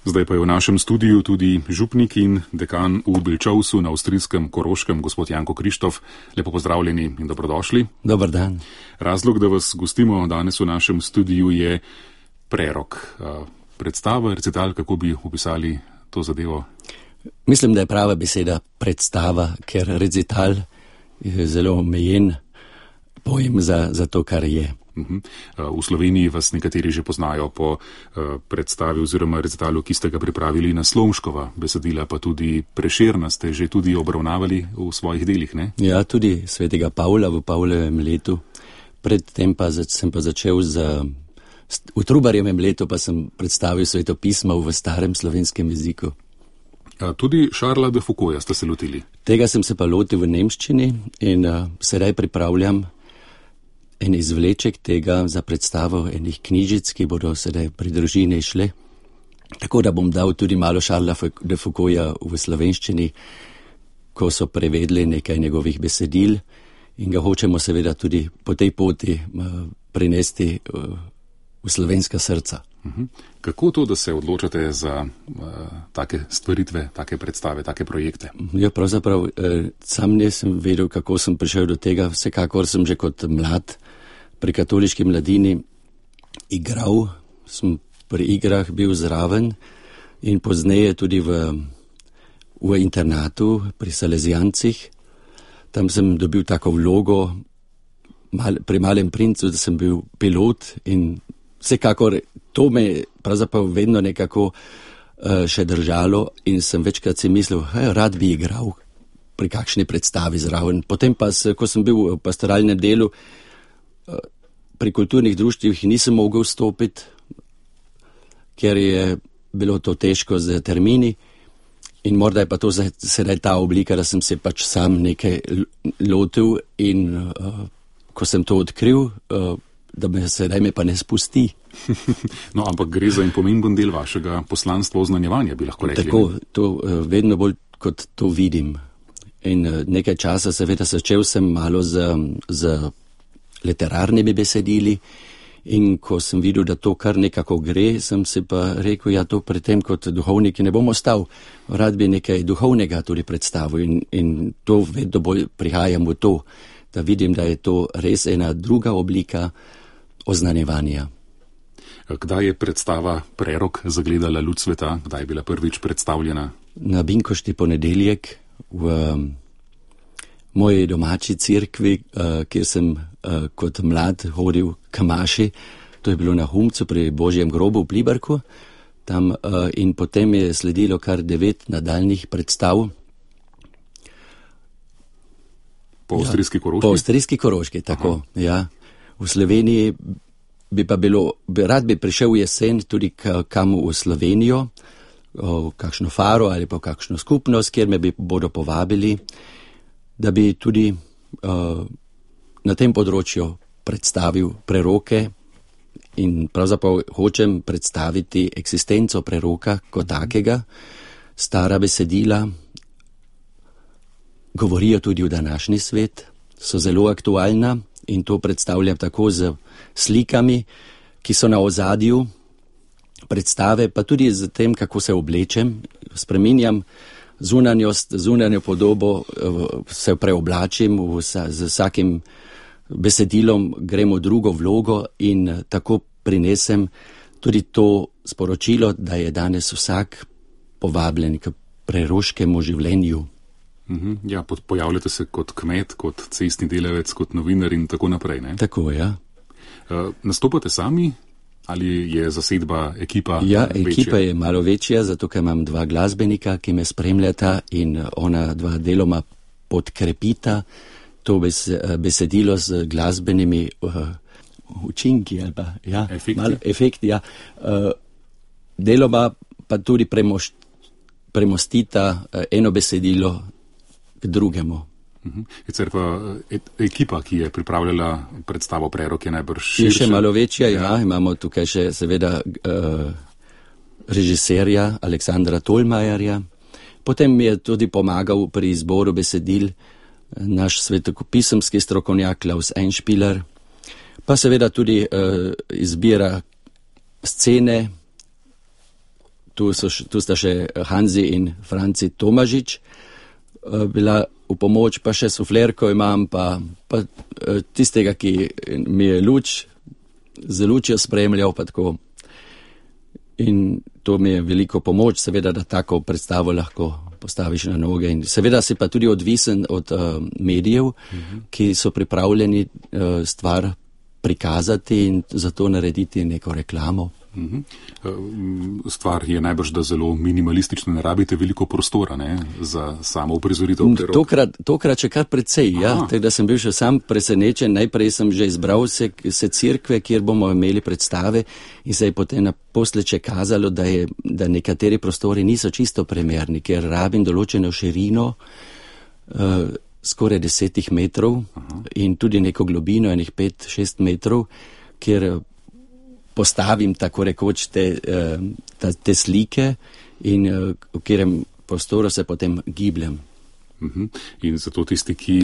Zdaj pa je v našem studiu tudi župnik in dekan v Bilčovsu na avstrijskem Koroškem, gospod Janko Krištof. Lepo pozdravljeni in dobrodošli. Dobar dan. Razlog, da vas gostimo danes v našem studiu, je prerok. Predstava, recital, kako bi opisali to zadevo? Mislim, da je prava beseda predstava, ker recital je zelo omejen pojem za to, kar je. V Sloveniji vas nekateri že poznajo po predstavi oziroma recitalu, ki ste ga pripravili na Slomškova besedila, pa tudi Prešerna ste že tudi obravnavali v svojih delih, ne? Ja, tudi svetega Pavla v Pavlovem letu. Predtem pa sem pa začel v Trubarjevem letu pa sem predstavil svetopismo v starem slovenskem jeziku. Tudi Charlesa de Foucaulta ste se lotili? Tega sem se pa lotil v nemščini in sedaj pripravljam en izvleček tega za predstavo enih knjižic, ki bodo sedaj pri družini šle. Tako da bom dal tudi malo Charlesa de Foucaulta v slovenščini, ko so prevedli nekaj njegovih besedil in ga hočemo seveda tudi po tej poti prinesti v slovenska srca. Kako to, da se odločate za take stvaritve, take predstave, take projekte? Ja, pravzaprav sam nisem vedel, kako sem prišel do tega. Vsekakor sem že kot mlad pri katoliški mladini igral, sem pri igrah bil zraven in pozneje tudi v internatu pri Salezijancih. Tam sem dobil tako vlogo pri Malem princu, da sem bil pilot in vsekakor to me pravzaprav vedno nekako še držalo in sem večkrat si mislil, rad bi igral pri kakšni predstavi zraven. Potem pa, ko sem bil v pastoralnem delu, pri kulturnih društvih nisem mogel stopiti, ker je bilo to težko z termini in morda je pa to sedaj ta oblika, da sem se pač sam nekaj lotil in ko sem to odkril, da sedaj me pa ne spusti. No, ampak gre za en pomemben del vašega poslanstva oznanjevanja, bi lahko rekli. Tako, to vedno bolj kot to vidim. In nekaj časa seveda začel sem malo z literarnimi besedili in ko sem videl, da to kar nekako gre, sem si pa rekel, ja, to pri tem kot duhovniki ne bom ostal. Rad bi nekaj duhovnega tudi predstavil in to vedno bolj prihajam v to, da vidim, da je to res ena druga oblika oznanjevanja. Kdaj je predstava Prerok zagledala luč sveta? Kdaj je bila prvič predstavljena? Na Binkošti ponedeljek v moji domači cerkvi, kjer sem kot mlad hodil k maši. To je bilo na Humcu pri Božjem grobu v Pliberku. Tam, in potem je sledilo kar 9 nadaljnih predstav. Po avstrijski Koroški? Po avstrijski Koroški, tako. Ja. V Sloveniji rad bi prišel v jesen tudi kam v Slovenijo, v kakšno faro ali pa v kakšno skupnost, kjer me bodo povabili, da bi tudi na tem področju predstavil preroke in pravzaprav hočem predstaviti eksistenco preroka kot takega. Stara besedila govorijo tudi v današnji svet, so zelo aktualna in to predstavljam tako z slikami, ki so na ozadju predstave, pa tudi z tem, kako se oblečem, spreminjam zunanjo podobo, se preoblačim, z vsakim besedilom grem v drugo vlogo in tako prinesem tudi to sporočilo, da je danes vsak povabljen k preroškemu življenju. Ja, pojavljate se kot kmet, kot cestni delavec, kot novinar in tako naprej, ne? Tako, ja. Nastopate sami ali je zasedba, ekipa večja? Ja, večja? Ekipa je malo večja, zato ker imam 2 glasbenika, ki me spremljata in ona 2 deloma podkrepita to besedilo z glasbenimi učinki ali pa, ja, efekti, ja. Deloma pa tudi premostita eno besedilo k drugemu. Sicer pa ekipa, ki je pripravljala predstavo Prerok, je najbrž širša. Je še malo večja, ja. Imamo tukaj še seveda režiserja Aleksandra Tolmajerja. Potem mi je tudi pomagal pri izboru besedil naš svetopisemski strokovnjak Klaus Einspieler. Pa seveda tudi izbira scene, tu sta še Hanzi in Franci Tomažič bila v pomoč, pa še suflerko imam, pa tistega, ki mi je z lučjo spremljal, pa tako. In to mi je veliko pomoč, seveda, da tako predstavo lahko postaviš na noge. In seveda si pa tudi odvisen od medijev, ki so pripravljeni stvar prikazati in zato narediti neko reklamo. Stvar je najbrž, da zelo minimalistično, ne rabite veliko prostora, ne, za samo uprizoritev. Tokrat še kar precej, ja. Tako da sem bil še sam presenečen. Najprej sem že izbral se cerkve, kjer bomo imeli predstave in se je potem naposled še kazalo, da nekateri prostori niso čisto primerni, ker rabim določeno širino, skoraj 10 metrov in tudi neko globino, enih 5-6 metrov, kjer postavim tako rekoč te slike in v katerem prostoru se potem gibljem. In zato tisti, ki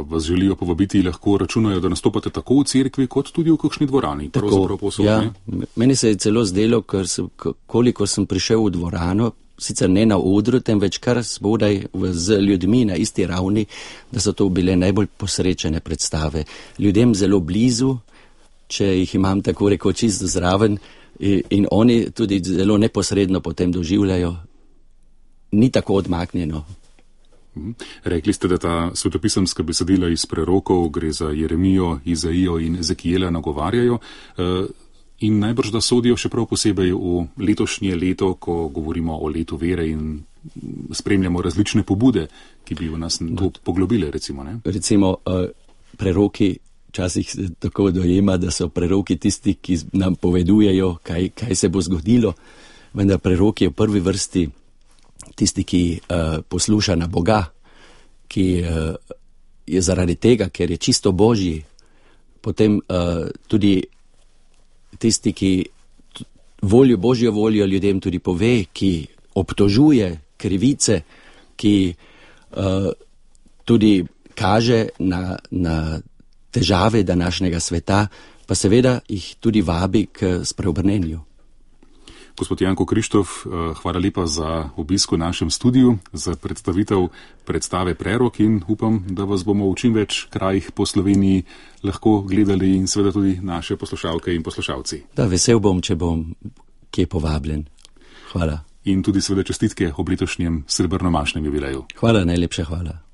vas želijo povabiti, lahko računajo, da nastopate tako v cerkvi, kot tudi v kakšni dvorani. Tako, ja. Meni se je celo zdelo, koliko sem prišel v dvorano, sicer ne na odru, temveč kar spodaj z ljudmi na isti ravni, da so to bile najbolj posrečene predstave. Ljudem zelo blizu, če jih imam tako rekoč čisto zraven in oni tudi zelo neposredno potem doživljajo, ni tako odmaknjeno. Rekli ste, da ta svetopisemska besedila iz prerokov, gre za Jeremijo, Izaijo in Ezekijela, nagovarjajo in najbrž, da sodijo še prav posebej v letošnje leto, ko govorimo o letu vere in spremljamo različne pobude, ki bi v nas to poglobile, recimo. Ne? Recimo, preroki včasih se tako dojema, da so preroki tisti, ki nam povedujejo, kaj se bo zgodilo, vendar prerok je v prvi vrsti tisti, ki posluša na Boga, ki je zaradi tega, ker je čisto Božji, potem tudi tisti, ki Božjo voljo ljudem tudi pove, ki obtožuje krivice, ki tudi kaže na težave današnjega sveta, pa seveda jih tudi vabi k spreobrnenju. Gospod Janko Krištof, hvala lepa za obisk v našem studiu, za predstavitev predstave Prerok in upam, da vas bomo v čim več krajih po Sloveniji lahko gledali in seveda tudi naše poslušalke in poslušalci. Da, vesel bom, če bom kje povabljen. Hvala. In tudi seveda čestitke ob letošnjem srebrnomašnem jubileju. Hvala, najlepša hvala.